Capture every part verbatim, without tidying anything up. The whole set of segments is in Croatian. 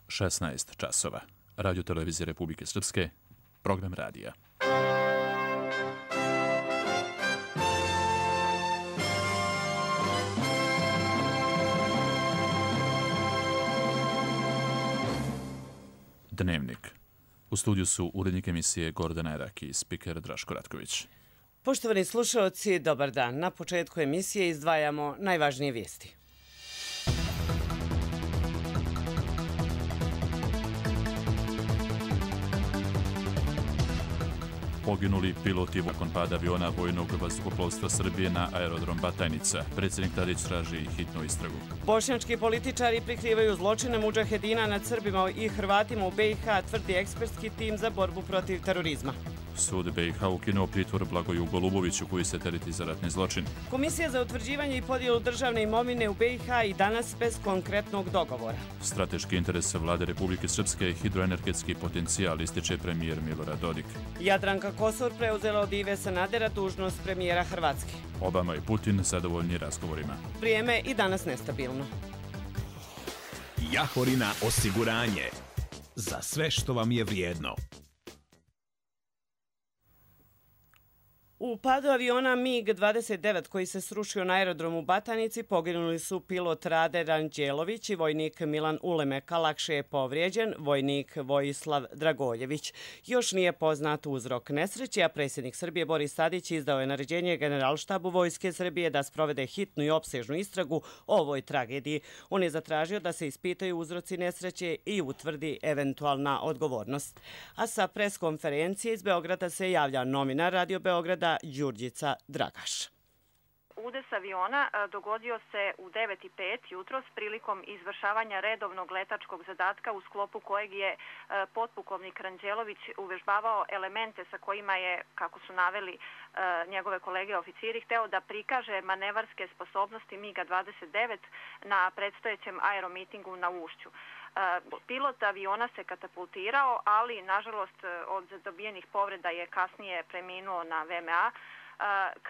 šesnaest časova. Radio televizije Republike Srpske, program radija. Dnevnik. U studiju su urednik emisije Gordana Erak i spiker Draško Ratković. Poštovani slušalci, dobar dan. Na početku emisije izdvajamo najvažnije vijesti. Poginuli piloti nakon pada aviona vojnog vazduhoplovstva Srbije na aerodrom Batajnica. Predsjednik Tadić traži hitnu istragu. Bošnjački političari prikrivaju zločine mudžahedina nad Srbima i Hrvatima u B i H, tvrdi ekspertski tim za borbu protiv terorizma. Sud B i H ukinuo pritvor Blagoju Goluboviću koji se tereti za ratni zločin. Komisija za utvrđivanje i podjelu državne imovine u B i H i danas bez konkretnog dogovora. Strateški interes vlade Republike Srpske je hidroenergetski potencijal, ističe premijer Milorad Dodik. Jadranka Kosor preuzela od Ive Sanadera dužnost premijera Hrvatske. Obama i Putin zadovoljni razgovorima. Vrijeme i danas nestabilno. Jahorina osiguranje. Za sve što vam je vrijedno. U padu aviona MiG dvadeset devet koji se srušio na aerodromu Batajnici poginuli su pilot Rade Ranđelović i vojnik Milan Ulemeka. Lakše je povrijeđen vojnik Vojislav Dragoljević. Još nije poznat uzrok nesreće, a predsjednik Srbije Boris Tadić izdao je naređenje Generalštabu Vojske Srbije da sprovede hitnu i opsežnu istragu o ovoj tragediji. On je zatražio da se ispitaju uzroci nesreće i utvrdi eventualna odgovornost. A sa preskonferencije iz Beograda se javlja novinar Radio Beograda Đurđica Dragaš. Udes aviona dogodio se u devet i pet jutros prilikom izvršavanja redovnog letačkog zadatka u sklopu kojeg je potpukovnik Ranđelović uvežbavao elemente sa kojima je, kako su naveli njegove kolege oficiri, hteo da prikaže manevarske sposobnosti MiG dvadeset devet na predstojećem aeromitingu na Ušću. Pilot aviona se katapultirao, ali nažalost od dobijenih povreda je kasnije preminuo na V M A.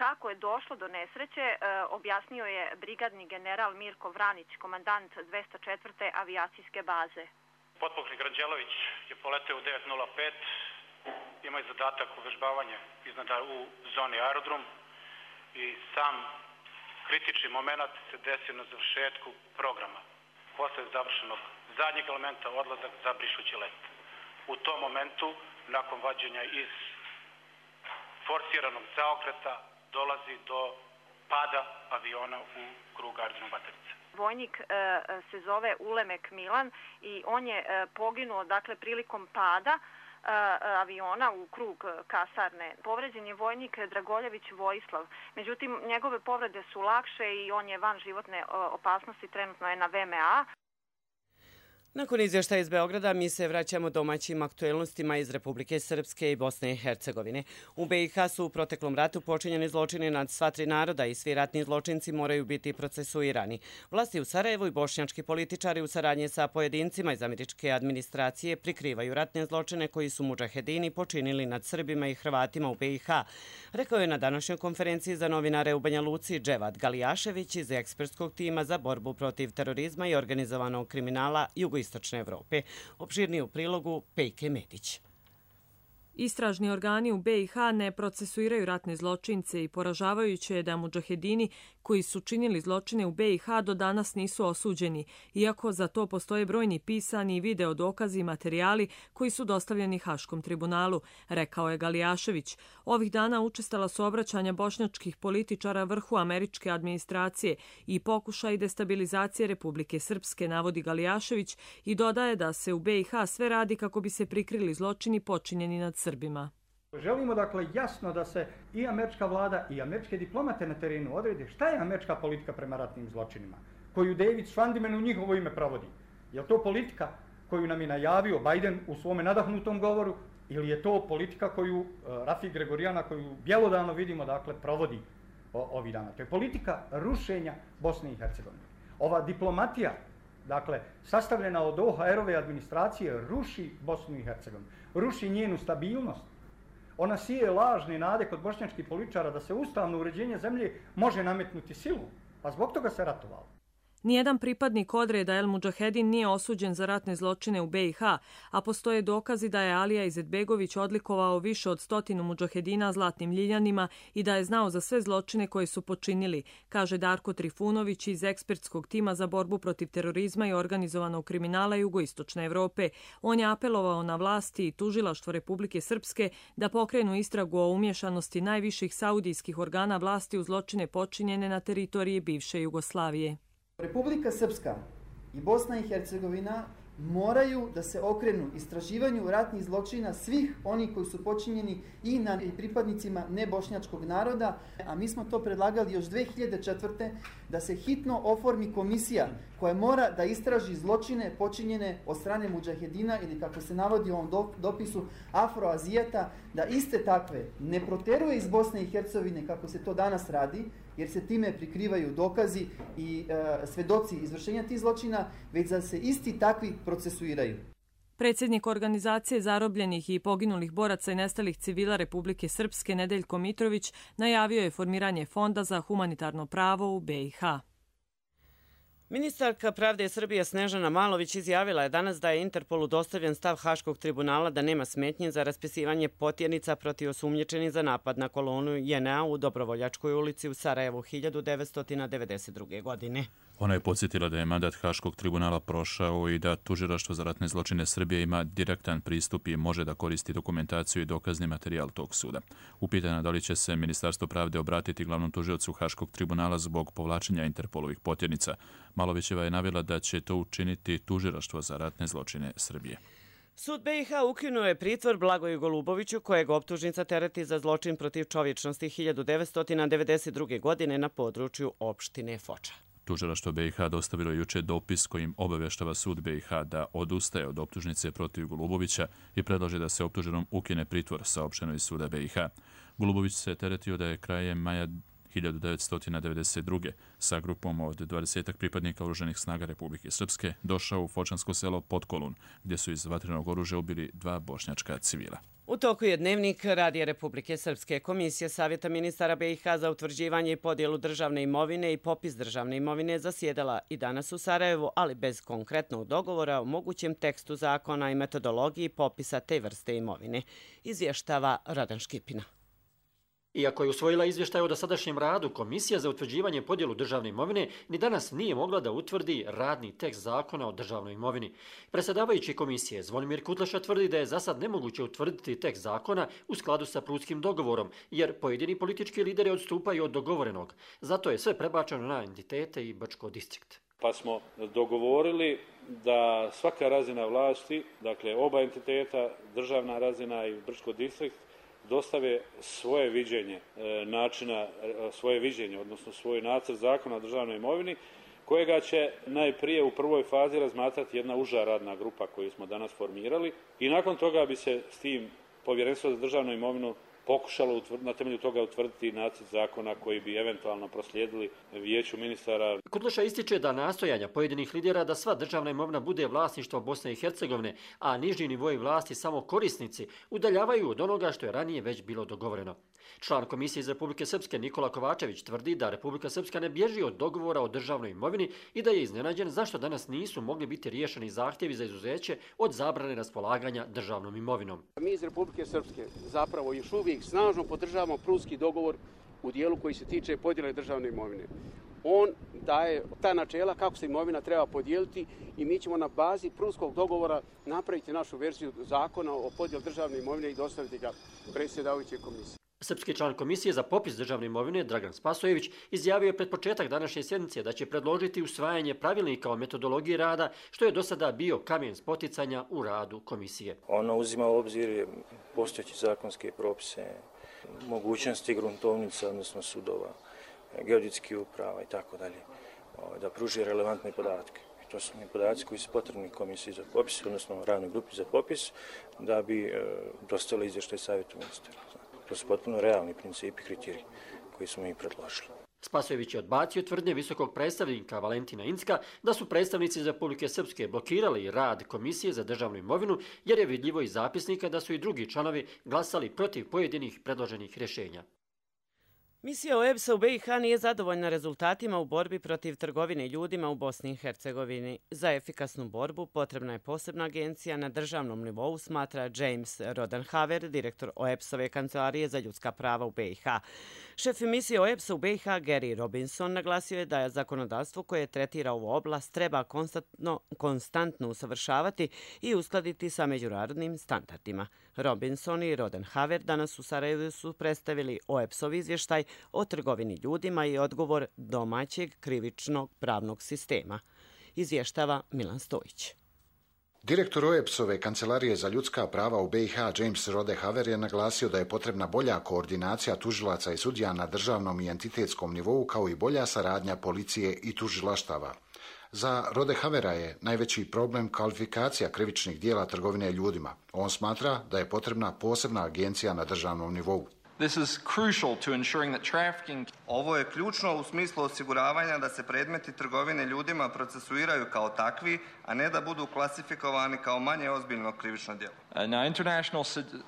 Kako je došlo do nesreće, objasnio je brigadni general Mirko Vranić, komandant dvesta četvrte avijacijske baze. Potpukovnik Ranđelović je poleteo u devet nula pet, ima je zadatak uvežbavanja iznad u zoni aerodrom i sam kritični moment se desio na završetku programa. Posle završenog zadnjeg elementa odlazak za brišući let. U tom momentu, nakon vađenja iz forsiranog zaokreta, dolazi do pada aviona u krug aerodroma Batajnica. Vojnik e, se zove Ulemek Milan i on je e, poginuo dakle prilikom pada e, aviona u krug kasarne. Povređen je vojnik Dragoljević Vojislav. Međutim, njegove povrede su lakše i on je van životne opasnosti, trenutno je na V M A. Nakon izvještaja iz Beograda mi se vraćamo domaćim aktuelnostima iz Republike Srpske i Bosne i Hercegovine. U B i H su u proteklom ratu počinjeni zločini nad sva tri naroda i svi ratni zločinci moraju biti procesuirani. Vlasti u Sarajevu i bošnjački političari u saradnji sa pojedincima iz američke administracije prikrivaju ratne zločine koji su mudžahedini počinili nad Srbima i Hrvatima u B i H. Rekao je na današnjoj konferenciji za novinare u Banja Luci Dževad Galijašević iz ekspertskog tima za borbu protiv terorizma i organizovanog kriminala Jugoistočne Evrope. Opširnije u prilogu Pejke Medić. Istražni organi u B i H ne procesuiraju ratne zločince i poražavajuće je da mudžahedini koji su činili zločine u B i H do danas nisu osuđeni, iako za to postoje brojni pisani i video dokazi i materijali koji su dostavljeni Haškom tribunalu, rekao je Galijašević. Ovih dana učestala su obraćanja bošnjačkih političara vrhu američke administracije i pokušaj destabilizacije Republike Srpske, navodi Galijašević i dodaje da se u B i H sve radi kako bi se prikrili zločini počinjeni nad Srbima. Želimo dakle jasno da se i američka vlada i američke diplomate na terenu odrede šta je američka politika prema ratnim zločinima, koju David Schwandiman u njihovo ime provodi. Je li to politika koju nam je najavio Biden u svome nadahnutom govoru ili je to politika koju uh, Rafi Gregorijana, koju bjelodano vidimo, dakle, provodi o, ovih dana. To je politika rušenja Bosne i Hercegovine. Ova diplomatija, dakle, sastavljena od O H R-ove administracije, ruši Bosnu i Hercegovinu, ruši njenu stabilnost. Ona sije lažne nade kod bošnjačkih političara da se ustavno uređenje zemlje može nametnuti silu, a zbog toga se ratovalo. Nijedan pripadnik odreda El Mudžahedin nije osuđen za ratne zločine u B i H, a postoje dokazi da je Alija Izetbegović odlikovao više od stotinu mudžahedina zlatnim ljiljanima i da je znao za sve zločine koje su počinili, kaže Darko Trifunović iz ekspertskog tima za borbu protiv terorizma i organizovanog kriminala jugoistočne Evrope. On je apelovao na vlasti i tužilaštvo Republike Srpske da pokrenu istragu o umješanosti najviših saudijskih organa vlasti u zločine počinjene na teritoriji bivše Jugoslavije. Republika Srpska i Bosna i Hercegovina moraju da se okrenu istraživanju ratnih zločina svih onih koji su počinjeni i na pripadnicima nebošnjačkog naroda, a mi smo to predlagali još dve hiljade četvrte. da se hitno oformi komisija koja mora da istraži zločine počinjene od strane mudžahedina ili, kako se navodi u ovom dopisu, Afroazijata, da iste takve ne proteruje iz Bosne i Hercegovine kako se to danas radi, jer se time prikrivaju dokazi i e, svedoci izvršenja tih zločina, već da se isti takvi procesuiraju. Predsjednik organizacije zarobljenih i poginulih boraca i nestalih civila Republike Srpske Nedeljko Mitrović najavio je formiranje Fonda za humanitarno pravo u B i H. Ministarka pravde Srbije Snežana Malović izjavila je danas da je Interpolu dostavljen stav Haškog tribunala da nema smetnje za raspisivanje potjernica protiv osumnjičenih za napad na kolonu J N A u Dobrovoljačkoj ulici u Sarajevu hiljadu devetsto devedeset druge. godine. Ona je podsjetila da je mandat Haškog tribunala prošao i da Tužilaštvo za ratne zločine Srbije ima direktan pristup i može da koristi dokumentaciju i dokazni materijal tog suda. Upitana da li će se Ministarstvo pravde obratiti glavnom tužiocu Haškog tribunala zbog povlačenja Interpolovih potjernica, Malovićeva je navela da će to učiniti Tužilaštvo za ratne zločine Srbije. Sud B i H ukinuo je pritvor Blagoju Goluboviću, kojeg optužnica tereti za zločin protiv čovječnosti hiljadu devetsto devedeset druge. godine na području opštine Foča. Tužilaštvo B i H dostavilo juče dopis kojim obavještava sud B i H da odustaje od optužnice protiv Golubovića i predlaže da se optuženom ukine pritvor, saopšteno iz suda B i H. Golubović se teretio da je krajem maja hiljadu devetsto devedeset druge. sa grupom od dvadesetak pripadnika oružanih snaga Republike Srpske došao u fočansko selo Potkolun, gdje su iz vatrenog oružja ubili dva bošnjačka civila. U toku je dnevnik Radija Republike Srpske. Komisija Savjeta ministara B i H za utvrđivanje i podjelu državne imovine i popis državne imovine zasjedala i danas u Sarajevu, ali bez konkretnog dogovora o mogućem tekstu zakona i metodologiji popisa te vrste imovine, izvještava Radan Škipina. Iako je usvojila izvještaj o dosadašnjem radu, Komisija za utvrđivanje podjelu državne imovine ni danas nije mogla da utvrdi radni tekst zakona o državnoj imovini. Predsjedavajući komisije Zvonimir Kutleša tvrdi da je za sad nemoguće utvrditi tekst zakona u skladu sa prutskim dogovorom, jer pojedini politički lideri odstupaju od dogovorenog. Zato je sve prebačeno na entitete i Brčko distrikt. Pa smo dogovorili da svaka razina vlasti, dakle oba entiteta, državna razina i Brčko distrikt, dostave svoje viđenje načina, svoje viđenje, odnosno svoj nacrt zakona o državnoj imovini, kojega će najprije u prvoj fazi razmatrati jedna uža radna grupa koju smo danas formirali i nakon toga bi se s tim Povjerenstvo za državnu imovinu pokušalo na temelju toga utvrditi nacrt zakona koji bi eventualno proslijedili vijeću ministara. Kutleša ističe da nastojanja pojedinih lidera da sva državna imovina bude vlasništvo Bosne i Hercegovine, a niži nivoji vlasti samo korisnici, udaljavaju od onoga što je ranije već bilo dogovoreno. Član Komisije iz Republike Srpske Nikola Kovačević tvrdi da Republika Srpska ne bježi od dogovora o državnoj imovini i da je iznenađen zašto danas nisu mogli biti riješeni zahtjevi za izuzeće od zabrane raspolaganja državnom imovinom. Mi iz Republike Srpske zapravo još uvijek snažno podržavamo prutski dogovor u dijelu koji se tiče podjele državne imovine. On daje ta načela kako se imovina treba podijeliti i mi ćemo na bazi prutskog dogovora napraviti našu verziju zakona o podjeli državne imovine i dostaviti ga predsjedavajućoj komisiji. Srpski član Komisije za popis državne imovine Dragan Spasojević izjavio je pred početak današnje sjednice da će predložiti usvajanje pravilnika o metodologiji rada, što je do sada bio kamen spoticanja u radu komisije. Ono uzima u obzir postojeće zakonske propise, mogućnosti gruntovnica, odnosno sudova, geodetskih uprava i tako dalje, da pruži relevantne podatke. To su podaci koji su potrebni Komisiji za popis, odnosno radnoj grupi za popis, da bi dostavili izvještaj savjetu ministara. To su potpuno realni principi i kriteriji koji smo i predložili. Spasojević je odbacio tvrdnje visokog predstavnika Valentina Incka da su predstavnici iz Republike Srpske blokirali rad Komisije za državnu imovinu, jer je vidljivo iz zapisnika da su i drugi članovi glasali protiv pojedinih predloženih rješenja. Misija O E B S-a u B i H nije zadovoljna rezultatima u borbi protiv trgovine ljudima u Bosni i Hercegovini. Za efikasnu borbu potrebna je posebna agencija na državnom nivou, smatra James Rodenhaver, direktor O E B S-ove kancelarije za ljudska prava u B i H. Šef misije O E B S-a u B i H, Gary Robinson, naglasio je da je zakonodavstvo koje tretira ovu oblast treba konstantno, konstantno usavršavati i uskladiti sa međunarodnim standardima. Robinson i Rodenhaver danas u Sarajevu su predstavili O E B S-ov izvještaj o trgovini ljudima i odgovor domaćeg krivičnog pravnog sistema. Izvještava Milan Stojić. Direktor O E B S-ove kancelarije za ljudska prava u B i H James Rodenhaver je naglasio da je potrebna bolja koordinacija tužilaca i sudija na državnom i entitetskom nivou, kao i bolja saradnja policije i tužilaštava. Za Rodenhavera je najveći problem kvalifikacija krivičnih dijela trgovine ljudima. On smatra da je potrebna posebna agencija na državnom nivou. This is crucial to ensuring that trafficking... Ovo je ključno u smislu osiguravanja da se predmeti trgovine ljudima procesuiraju kao takvi, a ne da budu klasifikovani kao manje ozbiljno krivično djelo. Uh, now, international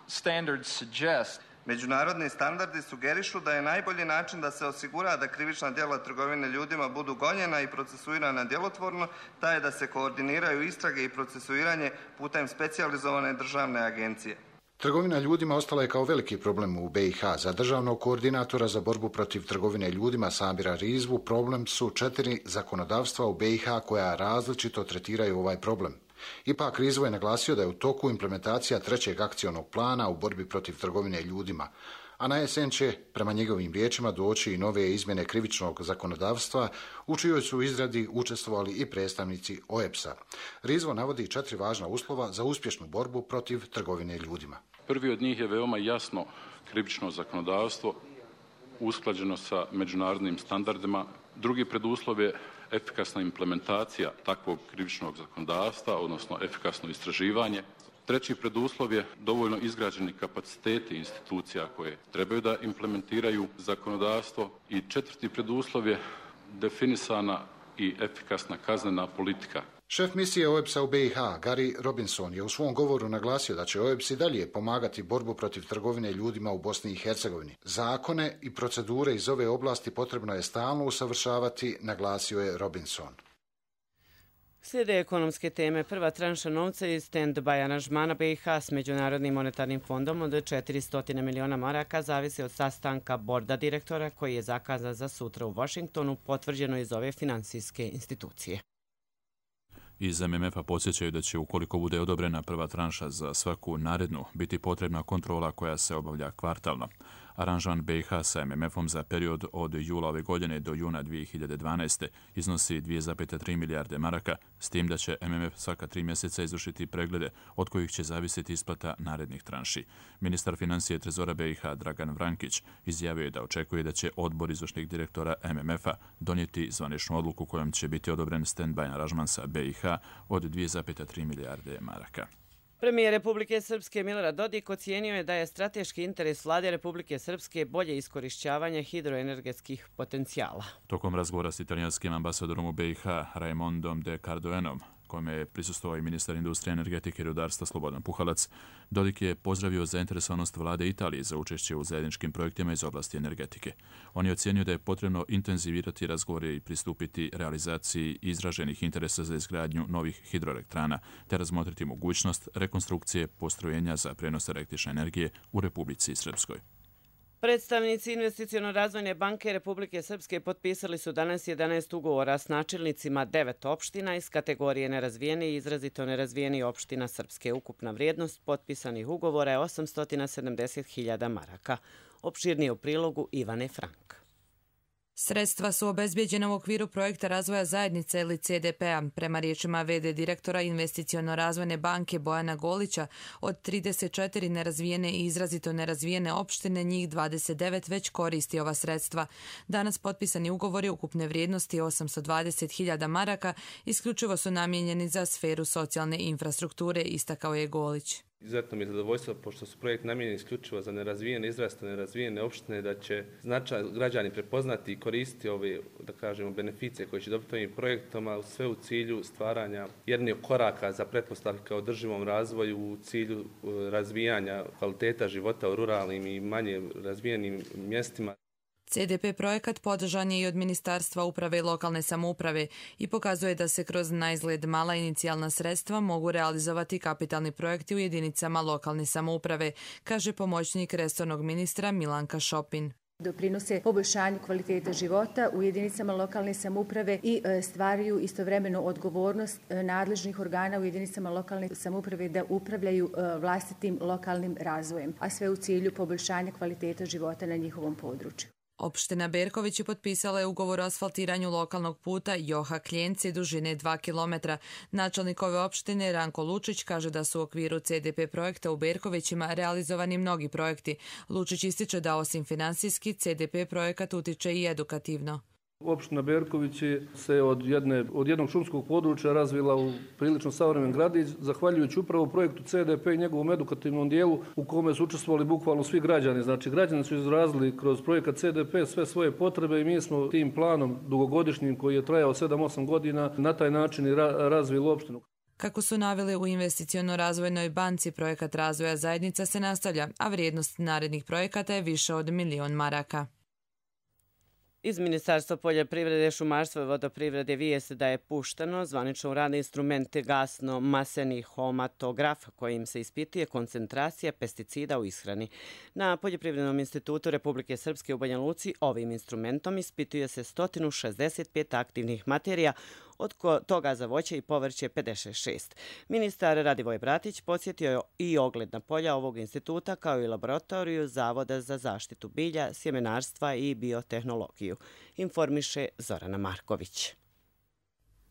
standards suggest... Međunarodni standardi sugerišu da je najbolji način da se osigura da krivična djela trgovine ljudima budu gonjena i procesuirana djelotvorno, taj je da se koordiniraju istrage i procesuiranje putem specijalizovane državne agencije. Trgovina ljudima ostala je kao veliki problem u B i H. Za državnog koordinatora za borbu protiv trgovine ljudima Samira Rizvu problem su četiri zakonodavstva u B i H koja različito tretiraju ovaj problem. Ipak Rizvo je naglasio da je u toku implementacija trećeg akcionog plana u borbi protiv trgovine ljudima, a na jesen će, prema njegovim riječima, doći i nove izmjene krivičnog zakonodavstva u čijoj su izradi učestvovali i predstavnici O E B S-a. Rizvo navodi četiri važna uslova za uspješnu borbu protiv trgovine ljudima. Prvi od njih je veoma jasno krivično zakonodavstvo, usklađeno sa međunarodnim standardima. Drugi preduslov je efikasna implementacija takvog krivičnog zakonodavstva, odnosno efikasno istraživanje. Treći preduslov je dovoljno izgrađeni kapaciteti institucija koje trebaju da implementiraju zakonodavstvo. I četvrti preduslov je definisana i efikasna kaznena politika. Šef misije O E B S-a u B i H, Gary Robinson, je u svom govoru naglasio da će O E B S i dalje pomagati borbu protiv trgovine ljudima u Bosni i Hercegovini. Zakone i procedure iz ove oblasti potrebno je stalno usavršavati, naglasio je Robinson. Slijede ekonomske teme. Prva tranša novca iz stand-by aranžmana B i H s Međunarodnim monetarnim fondom od četiristo miliona maraka zavisi od sastanka borda direktora koji je zakazan za sutra u Washingtonu, potvrđeno iz ove finansijske institucije. Iz M M F-a podsjećaju da će, ukoliko bude odobrena prva tranša za svaku narednu, biti potrebna kontrola koja se obavlja kvartalno. Aranžman B i H sa M M F-om za period od jula ove godine do juna dvije hiljade dvanaeste. iznosi dvije zarez tri milijarde maraka, s tim da će M M F svaka tri mjeseca izvršiti preglede od kojih će zavisiti isplata narednih tranši. Ministar financije Trezora B i H Dragan Vrankić izjavio je da očekuje da će odbor izvršnih direktora M M F-a donijeti zvaničnu odluku kojom će biti odobren stand-by aranžman sa B i H od dvije zarez tri milijarde maraka. Premijer Republike Srpske Milorad Dodik ocijenio je da je strateški interes Vlade Republike Srpske bolje iskorišćavanje hidroenergetskih potencijala. Tokom razgovora s italijanskim ambasadorom u B i H Raimondom de Cardoenom, kome je prisustvovao i ministar industrije, energetike i rudarstva Slobodan Puhalac, Dodik je pozdravio zainteresovanost vlade Italije za učešće u zajedničkim projektima iz oblasti energetike. On je ocijenio da je potrebno intenzivirati razgovore i pristupiti realizaciji izraženih interesa za izgradnju novih hidroelektrana, te razmotriti mogućnost rekonstrukcije postrojenja za prenos električne energije u Republici Srpskoj. Predstavnici Investiciono-razvojne banke Republike Srpske potpisali su danas jedanaest ugovora s načelnicima devet opština iz kategorije nerazvijene i izrazito nerazvijeni opština Srpske. Ukupna vrijednost potpisanih ugovora je osamsto sedamdeset hiljada maraka. Opširnije u prilogu Ivane Frank. Sredstva su obezbijeđena u okviru projekta razvoja zajednice ili C D P-a. Prema riječima V D direktora Investiciono-razvojne banke Bojana Golića, od trideset četiri nerazvijene i izrazito nerazvijene opštine, njih dvadeset devet već koristi ova sredstva. Danas potpisani ugovori ukupne vrijednosti osamsto dvadeset hiljada maraka isključivo su namijenjeni za sferu socijalne infrastrukture, istakao je Golić. Izuzetno mi je zadovoljstvo, pošto su projekt namijenjeni isključivo za nerazvijene, izrazito nerazvijene opštine, da će značaj građani prepoznati i koristiti ove, da kažemo, beneficije koje će dobiti ovim projektom, a sve u cilju stvaranja jednih koraka za pretpostavke održivom razvoju u cilju razvijanja kvaliteta života u ruralnim i manje razvijenim mjestima. C D P projekat podržan je i od Ministarstva uprave i lokalne samouprave i pokazuje da se kroz naizgled mala inicijalna sredstva mogu realizovati kapitalni projekti u jedinicama lokalne samouprave, kaže pomoćnik resornog ministra Milanka Šopin. Doprinose poboljšanju kvalitete života u jedinicama lokalne samouprave i stvaraju istovremeno odgovornost nadležnih organa u jedinicama lokalne samouprave da upravljaju vlastitim lokalnim razvojem, a sve u cilju poboljšanja kvalitete života na njihovom području. Opština Berković je potpisala je ugovor o asfaltiranju lokalnog puta Joha-Kljenci dužine dva kilometra. Načelnik ove opštine Ranko Lučić kaže da su u okviru C D P projekta u Berkovićima realizovani mnogi projekti. Lučić ističe da osim finansijski C D P projekat utiče i edukativno. Opština Berković se od, jedne, od jednog šumskog područja razvila u prilično savremen gradić, zahvaljujući upravo projektu C D P i njegovom edukativnom dijelu u kome su učestvovali bukvalno svi građani. Znači, građani su izrazili kroz projekat C D P sve svoje potrebe i mi smo tim planom dugogodišnjim koji je trajao sedam osam godina na taj način i ra razvili opštinu. Kako su naveli u Investiciono-razvojnoj banci, projekat razvoja zajednica se nastavlja, a vrijednost narednih projekata je više od milion maraka. Iz Ministarstva poljoprivrede, šumarstva i vodoprivrede vijest da je pušteno zvanično u rad instrument gasno-maseni homatograf kojim se ispituje koncentracija pesticida u ishrani. Na Poljoprivrednom institutu Republike Srpske u Banja Luci ovim instrumentom ispituje se sto šezdeset pet aktivnih materija, od toga za voće i povrće pedeset šest. Ministar Radivoj Bratić podsjetio je i ogledna polja ovog instituta kao i laboratoriju Zavoda za zaštitu bilja, sjemenarstva i biotehnologiju, informiše Zorana Marković.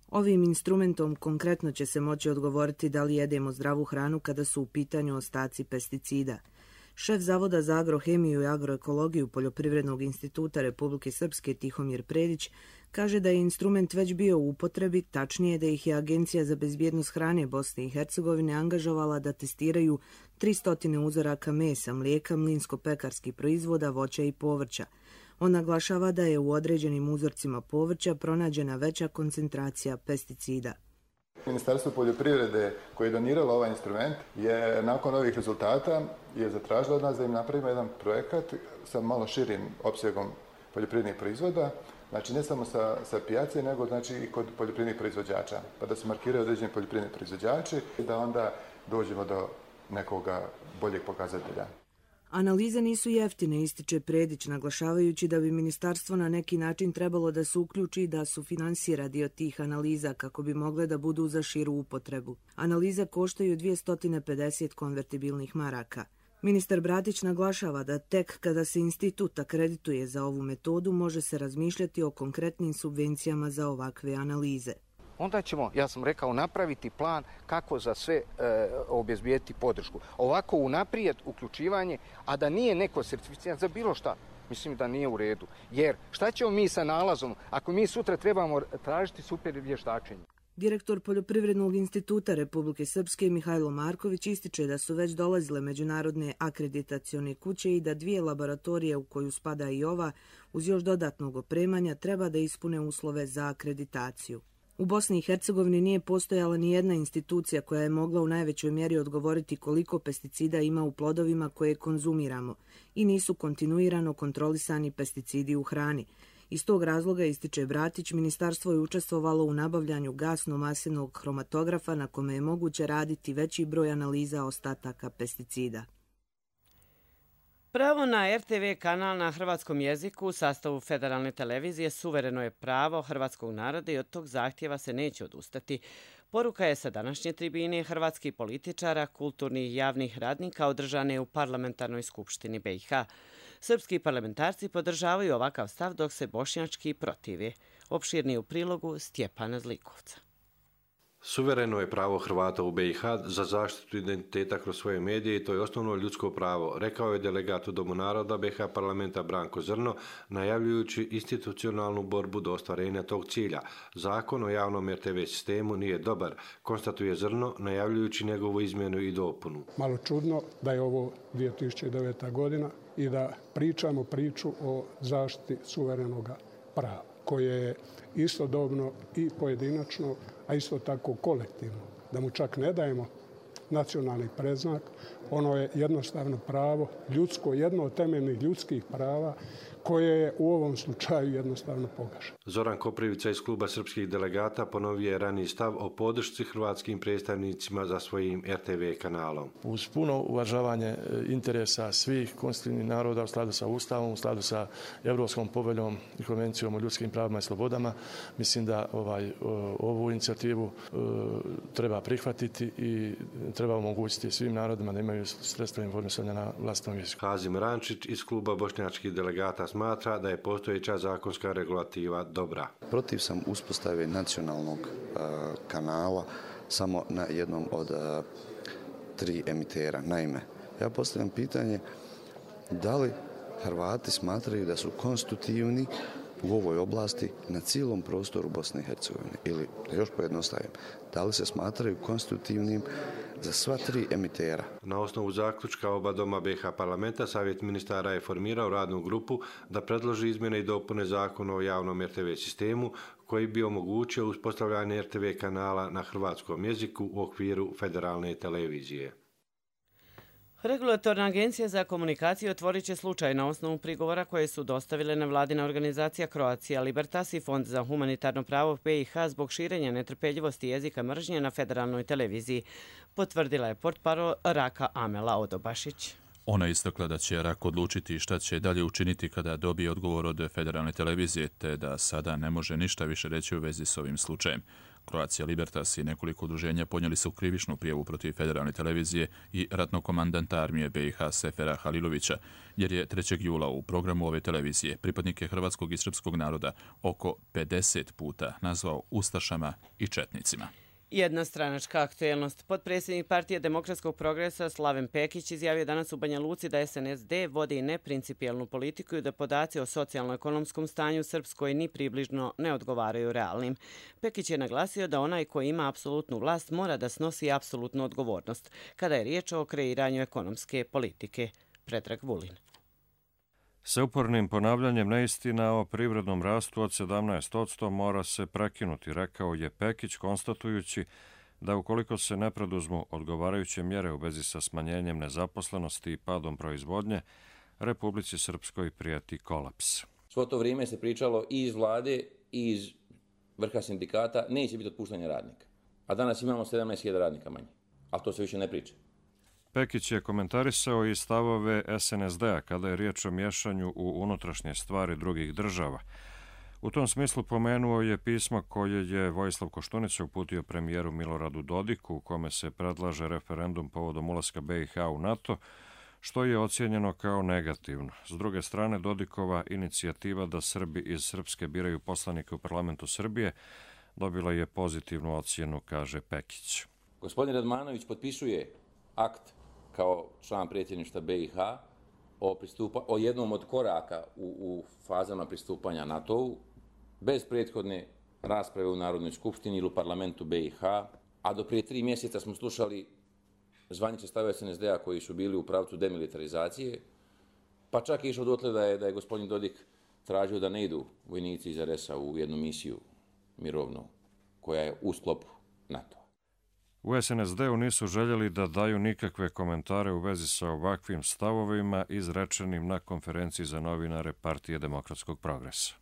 Ovim instrumentom konkretno će se moći odgovoriti da li jedemo zdravu hranu kada su u pitanju ostaci pesticida. Šef Zavoda za agrohemiju i agroekologiju Poljoprivrednog instituta Republike Srpske Tihomir Predić kaže da je instrument već bio u upotrebi, tačnije da ih je Agencija za bezbjednost hrane Bosne i Hercegovine angažovala da testiraju tristo uzoraka mesa, mlijeka, mlinsko-pekarskih proizvoda, voća i povrća. On naglašava da je u određenim uzorcima povrća pronađena veća koncentracija pesticida. Ministarstvo poljoprivrede koje je doniralo ovaj instrument je nakon ovih rezultata je zatražilo od nas da im napravimo jedan projekat sa malo širim opsegom poljoprivrednih proizvoda, znači ne samo sa, sa pijace, nego znači i kod poljoprivrednih proizvođača, pa da se markiraju određeni poljoprivredni proizvođači i da onda dođemo do nekoga boljeg pokazatelja. Analize nisu jeftine, ističe Predić, naglašavajući da bi ministarstvo na neki način trebalo da se uključi i da sufinansira dio tih analiza kako bi mogle da budu za širu upotrebu. Analize koštaju dvjesto pedeset konvertibilnih maraka. Ministar Bratić naglašava da tek kada se institut akredituje za ovu metodu može se razmišljati o konkretnim subvencijama za ovakve analize. Onda ćemo, ja sam rekao, napraviti plan kako za sve e, obezbijeti podršku. Ovako unaprijed uključivanje, a da nije neko certificiran za bilo šta, mislim da nije u redu. Jer šta ćemo mi sa nalazom ako mi sutra trebamo tražiti super vještačenje? Direktor Poljoprivrednog instituta Republike Srpske Mihajlo Marković ističe da su već dolazile međunarodne akreditacione kuće i da dvije laboratorije u koju spada i ova, uz još dodatnog opremanja, treba da ispune uslove za akreditaciju. U Bosni i Hercegovini nije postojala ni jedna institucija koja je mogla u najvećoj mjeri odgovoriti koliko pesticida ima u plodovima koje konzumiramo i nisu kontinuirano kontrolisani pesticidi u hrani. Iz tog razloga, ističe Bratić, ministarstvo je učestvovalo u nabavljanju gasno-masenog hromatografa na kome je moguće raditi veći broj analiza ostataka pesticida. Pravo na R T V kanal na hrvatskom jeziku u sastavu federalne televizije suvereno je pravo hrvatskog naroda i od tog zahtjeva se neće odustati. Poruka je sa današnje tribine hrvatskih političara, kulturnih i javnih radnika održane u Parlamentarnoj skupštini B i H. Srpski parlamentarci podržavaju ovakav stav dok se bošnjački protive. Opširnije u prilogu Stjepana Zlikovca. Suvereno je pravo Hrvata u B i H za zaštitu identiteta kroz svoje medije i to je osnovno ljudsko pravo, rekao je delegat u Domu naroda B i H parlamenta Branko Zrno, najavljujući institucionalnu borbu do ostvarenja tog cilja. Zakon o javnom R T V sistemu nije dobar, konstatuje Zrno, najavljujući njegovu izmjenu i dopunu. Malo čudno da je ovo dvije tisuće deveta godina i da pričamo priču o zaštiti suverenog prava, koje je istodobno i pojedinačno, a isto tako kolektivno. Da mu čak ne dajemo nacionalni predznak, Ono je jednostavno pravo ljudsko, jedno od temeljnih ljudskih prava koje je u ovom slučaju jednostavno pogaženo. Zoran Koprivica iz kluba srpskih delegata ponovio je raniji stav o podršci hrvatskim predstavnicima za svojim er te ve kanalom. Uz puno uvažavanje interesa svih konstitutivnih naroda u skladu sa Ustavom, u skladu sa Europskom poveljom i konvencijom o ljudskim pravima i slobodama, mislim da ovaj, ovu inicijativu e, treba prihvatiti i treba omogućiti svim narodima da imaju sredstva informisanja na vlastnom jeziku. Hazim Rančić iz kluba bošnjačkih delegata smatra da je postojeća zakonska regulativa dobra. Protiv sam uspostave nacionalnog uh, kanala samo na jednom od uh, tri emitera. Naime, ja postavljam pitanje da li Hrvati smatraju da su konstitutivni u ovoj oblasti na cijelom prostoru Bosne i Hercegovine ili, da još pojednostavim, da li se smatraju konstitutivnim za sva tri emitera. Na osnovu zaključka oba doma be ha parlamenta, Savjet ministara je formirao radnu grupu da predloži izmjene i dopune zakona o javnom er te ve sistemu koji bi omogućio uspostavljanje er te ve kanala na hrvatskom jeziku u okviru federalne televizije. Regulatorna agencija za komunikaciju otvorit će slučaj na osnovu prigovora koje su dostavile nevladina organizacija Croatia Libertas i Fond za humanitarno pravo be i ha zbog širenja netrpeljivosti jezika mržnje na federalnoj televiziji, potvrdila je portparol Raka Amela Odobašić. Ona je istakla da će Rak odlučiti šta će dalje učiniti kada dobije odgovor od federalne televizije, te da sada ne može ništa više reći u vezi s ovim slučajem. Croatia Libertas i nekoliko udruženja podnijeli su krivičnu prijavu protiv federalne televizije i ratnog komandanta armije be i ha Sefera Halilovića, jer je trećeg jula u programu ove televizije pripadnike hrvatskog i srpskog naroda oko pedeset puta nazvao ustašama i četnicima. Jedna stranačka aktuelnost. Potpredsjednik Partije demokratskog progresa Slaven Pekić izjavio danas u Banja Luci da es en es de vodi neprincipijelnu politiku i da podaci o socijalno-ekonomskom stanju u Srpskoj ni približno ne odgovaraju realnim. Pekić je naglasio da onaj koji ima apsolutnu vlast mora da snosi apsolutnu odgovornost kada je riječ o kreiranju ekonomske politike. Predrag Vulin. Sa upornim ponavljanjem neistina o privrednom rastu od sedamnaest posto mora se prekinuti, rekao je Pekić, konstatujući da ukoliko se ne preduzmu odgovarajuće mjere u vezi sa smanjenjem nezaposlenosti i padom proizvodnje, Republici Srpskoj prijeti kolaps. Svo to vrijeme se pričalo i iz vlade i iz vrha sindikata, neće biti otpuštanja radnika. A danas imamo sedamnaest hiljada radnika manje, ali to se više ne priča. Pekić je komentarisao i stavove es en es de-a kada je riječ o miješanju u unutrašnje stvari drugih država. U tom smislu pomenuo je pismo koje je Vojislav Koštunica uputio premijeru Miloradu Dodiku, u kome se predlaže referendum povodom ulaska be i ha u NATO, što je ocijenjeno kao negativno. S druge strane, Dodikova inicijativa da Srbi iz Srpske biraju poslanike u parlamentu Srbije dobila je pozitivnu ocjenu, kaže Pekić. Gospodin Radmanović potpisuje akt kao član predsjedništva be i ha o, pristupa, o jednom od koraka u, u fazama pristupanja NATO-u bez prethodne rasprave u Narodnoj skupštini ili u parlamentu be i ha, a do prije tri mjeseca smo slušali zvanične stavove es en es de-a koji su bili u pravcu demilitarizacije, pa čak je išao dotle da je, da je gospodin Dodik tražio da ne idu vojnici iz er es a u jednu misiju mirovnu koja je u sklopu NATO. U es en es de-u nisu željeli da daju nikakve komentare u vezi sa ovakvim stavovima izrečenim na konferenciji za novinare Partije demokratskog progresa.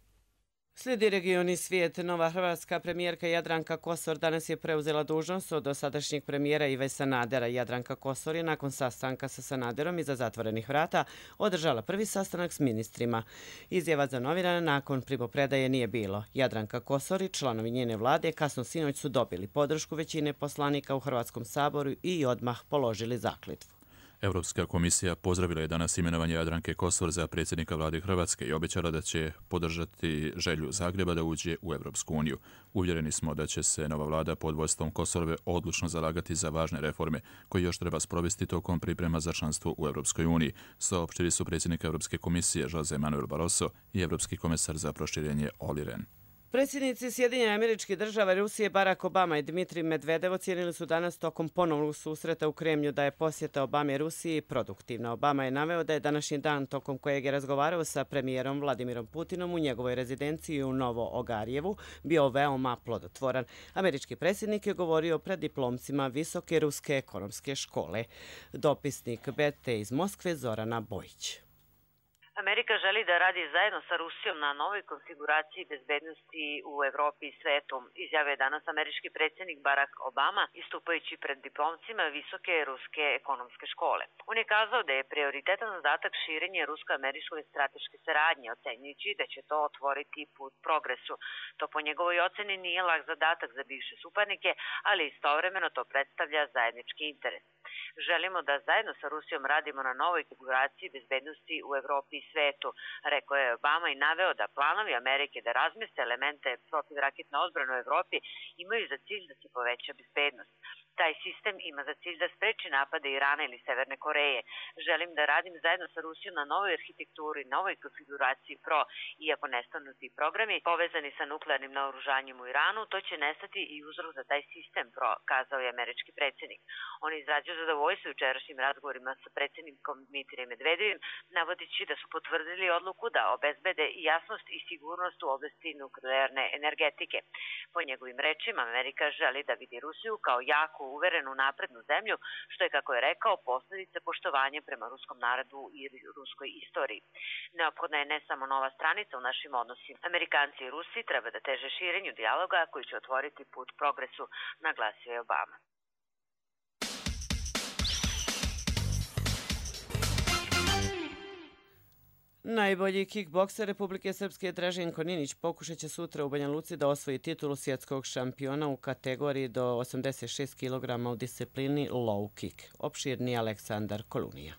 Slijedi region i svijet. Nova hrvatska premijerka Jadranka Kosor danas je preuzela dužnost od dosadašnjeg premijera Ive Sanadera. Jadranka Kosor je nakon sastanka sa Sanaderom iza zatvorenih vrata održala prvi sastanak s ministrima. Izjava za novinare nakon primopredaje nije bilo. Jadranka Kosor i članovi njene vlade kasno sinoć su dobili podršku većine poslanika u Hrvatskom saboru i odmah položili zakletvu. Europska komisija pozdravila je danas imenovanje Jadranke Kosor za predsjednika vlade Hrvatske i obećala da će podržati želju Zagreba da uđe u Europsku uniju. Uvjereni smo da će se nova vlada pod vodstvom Kosorove odlučno zalagati za važne reforme koje još treba sprovesti tokom priprema za članstvo u Europskoj uniji, saopštili su predsjednik Europske komisije Jose Manuel Barroso i Europski komesar za proširenje Olli Rehn. Predsjednici Sjedinjenih Američkih Država, Rusije, Barack Obama i Dmitrij Medvedev ocijenili su danas tokom ponovnog susreta u Kremlju da je posjeta Obame Rusiji produktivna. Obama je naveo da je današnji dan tokom kojeg je razgovarao sa premijerom Vladimirom Putinom u njegovoj rezidenciji u Novo Ogarjevu bio veoma plodotvoran. Američki predsjednik je govorio pred diplomcima Visoke ruske ekonomske škole. Dopisnik B T iz Moskve Zorana Bojić. Amerika želi da radi zajedno sa Rusijom na novoj konfiguraciji bezbednosti u Evropi i svetu, izjavio je danas američki predsjednik Barack Obama istupajući pred diplomcima Visoke ruske ekonomske škole. On je kazao da je prioritetan zadatak širenje rusko-američke strateške saradnje, ocenjujući da će to otvoriti put progresu. To po njegovoj oceni nije lak zadatak za bivše suparnike, ali istovremeno to predstavlja zajednički interes. Želimo da zajedno sa Rusijom radimo na novoj konfiguraciji bezbednosti u Evropi i svetu, rekao je Obama i naveo da planovi Amerike da razmeste elemente protivraketne odbrane u Evropi imaju za cilj da se poveća bezbednost. Taj sistem ima za cilj da spreči napade Irana ili Severne Koreje. Želim da radim zajedno sa Rusijom na novoj arhitekturi, novoj konfiguraciji pro, iako nestanu ti programi povezani sa nuklearnim naoružanjem u Iranu, to će nestati i uzrok za taj sistem pro, kazao je američki predsjednik. On je izrazio zadovoljstvo jučerašnjim razgovorima sa predsjednikom Dmitrijem Medvedevim, navodići da su potvrdili odluku da obezbede jasnost i sigurnost u oblasti nuklearne energetike. Po njegovim rečima, Amerika želi da vidi Rusiju kao jako uverenu naprednu zemlju, što je, kako je rekao, posljedica poštovanja prema ruskom narodu i ruskoj istoriji. Neophodna je ne samo nova stranica u našim odnosima. Amerikanci i Rusi treba da teže širenju dijaloga koji će otvoriti put progresu, naglasio je Obama. Najbolji kikbokser Republike Srpske Draženko Ninić pokušat će sutra u Banja Luci da osvoji titulu svjetskog šampiona u kategoriji do osamdeset šest kilograma u disciplini low kick. Opširni Aleksandar Kolunija.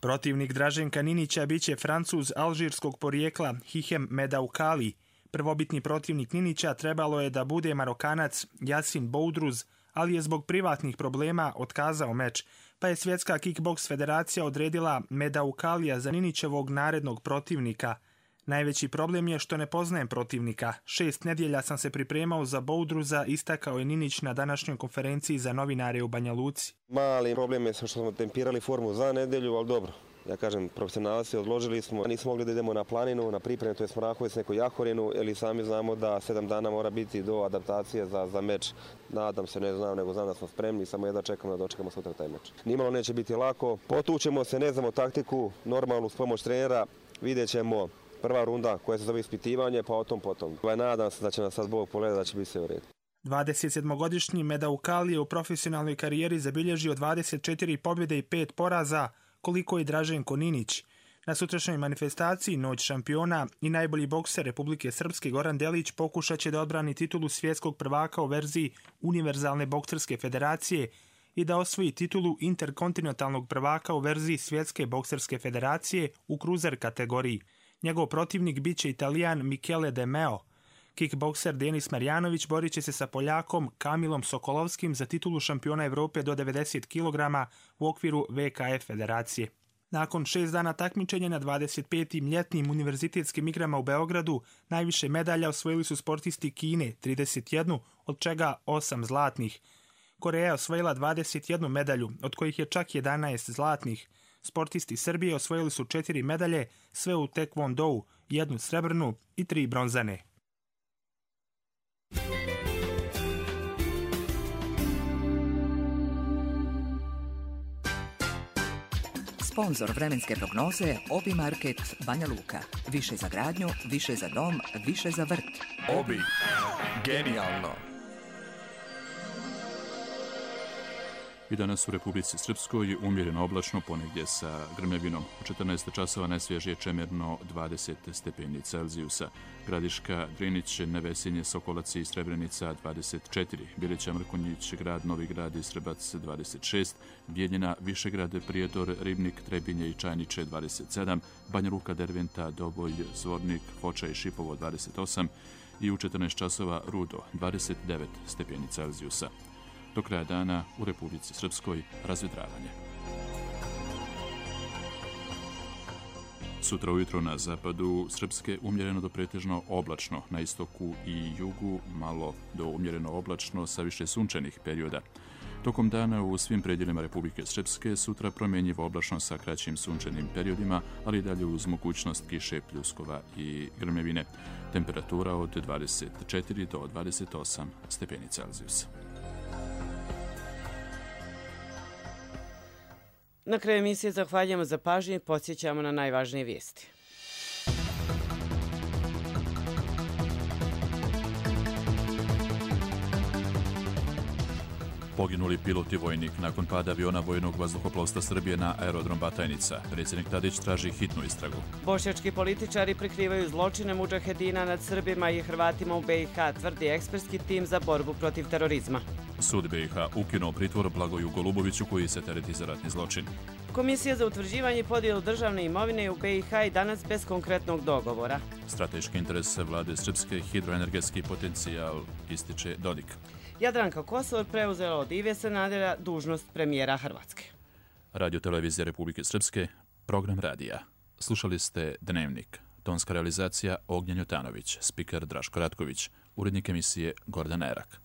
Protivnik Draženka Ninića biće Francuz alžirskog porijekla Hihem Medaukali. Prvobitni protivnik Ninića trebalo je da bude Marokanac Yasin Boudruz, ali je zbog privatnih problema otkazao meč, pa je Svjetska kickboks federacija odredila Medaukalija za Ninićevog narednog protivnika. Najveći problem je što ne poznajem protivnika. Šest nedjelja sam se pripremao za Boudruza, istakao je Ninić na današnjoj konferenciji za novinare u Banja Luci. Mali problem je što smo tempirali formu za nedjelju, ali dobro. Ja kažem, profesionalci odložili smo, nismo mogli da idemo na planinu, na pripremu, to je Smrahovic, neku Jahorinu, ili sami znamo da sedam dana mora biti do adaptacije za, za meč. Nadam se, ne znam, nego znam da smo spremni, samo jedva čekamo da dočekamo sutra taj meč. Nimalo neće biti lako, potučemo se, ne znamo taktiku, normalnu s pomoć trenera, vidjet ćemo prva runda koja se zove ispitivanje, pa o tom potom. Nadam se da će nas sad Bog pogledati, da će biti sve u redu. dvadesetsedmogodišnji Medaukali je u profesionalnoj karijeri zabilježio dvadeset četiri pobjede i pet poraza, koliko je Draženko Ninić. Na sutrašnjoj manifestaciji Noć šampiona i najbolji bokser Republike Srpske Goran Delić pokušat će da odbrani titulu svjetskog prvaka u verziji Univerzalne bokserske federacije i da osvoji titulu interkontinentalnog prvaka u verziji Svjetske bokserske federacije u kruzer kategoriji. Njegov protivnik biće Italijan Michele De Meo. Kickbokser Denis Marjanović borit će se sa Poljakom Kamilom Sokolovskim za titulu šampiona Evrope do devedeset kilograma u okviru V K F federacije. Nakon šest dana takmičenja na dvadeset petim ljetnim univerzitetskim igrama u Beogradu, najviše medalja osvojili su sportisti Kine, trideset jednu, od čega osam zlatnih. Koreja je osvojila dvadeset jednu medalju, od kojih je čak jedanaest zlatnih. Sportisti Srbije osvojili su četiri medalje, sve u tekvondou, jednu srebrnu i tri bronzane. Sponzor vremenske prognoze Obi Market Banja Luka. Više za gradnju, više za dom, više za vrt. Obi. Genijalno. I danas u Republici Srpskoj umjereno oblačno, ponegdje sa grmljavinom. U četrnaest časova najsvježije čemerno dvadeset stepeni Celzijusa. Gradiška, Drinić, Nevesinje, Sokolac i Srebrenica dvadeset četiri. Bilića, Mrkonjić, Grad, Novi Grad i Srbac dvadeset šest. Bijeljina, Višegrad, Prijedor, Ribnik, Trebinje i Čajniče dvadeset sedam. Banja Luka, Derventa, Doboj, Zvornik, Foča i Šipovo dvadeset osam. I u četrnaest časova Rudo dvadeset devet stepeni Celzijusa. Do kraja dana u Republici Srpskoj razvedravanje. Sutra ujutro na zapadu Srpske umjereno do pretežno oblačno, na istoku i jugu malo do umjereno oblačno sa više sunčanih perioda. Tokom dana u svim predjelima Republike Srpske sutra promjenjivo oblačno sa kraćim sunčanim periodima, ali i dalje uz mogućnost kiše, pljuskova i grmljevine. Temperatura od dvadeset četiri do dvadeset osam stepeni Celzijusa. Na kraju emisije zahvaljujemo za pažnju i podsjećamo na najvažnije vijesti. Poginuli pilot i vojnik nakon pada aviona vojnog vazduhoplovstva Srbije na aerodrom Batajnica. Predsjednik Tadić traži hitnu istragu. Bošnjački političari prikrivaju zločine mudžahedina nad Srbima i Hrvatima u B i H, tvrdi ekspertski tim za borbu protiv terorizma. Sud B i H ukinuo pritvor Blagoju Goluboviću koji se tereti za ratni zločin. Komisija za utvrđivanje i podjelu državne imovine u B i H i danas bez konkretnog dogovora. Strateški interes vlade Srpske hidroenergetski potencijal ističe Dodik. Jadranka Kosor preuzela od Ive Sanadera dužnost premijera Hrvatske. Radio Televizija Republike Srpske, program radija. Slušali ste Dnevnik. Tonska realizacija Ognjen Jotanović, spiker Draško Ratković, urednik emisije Gordan Erak.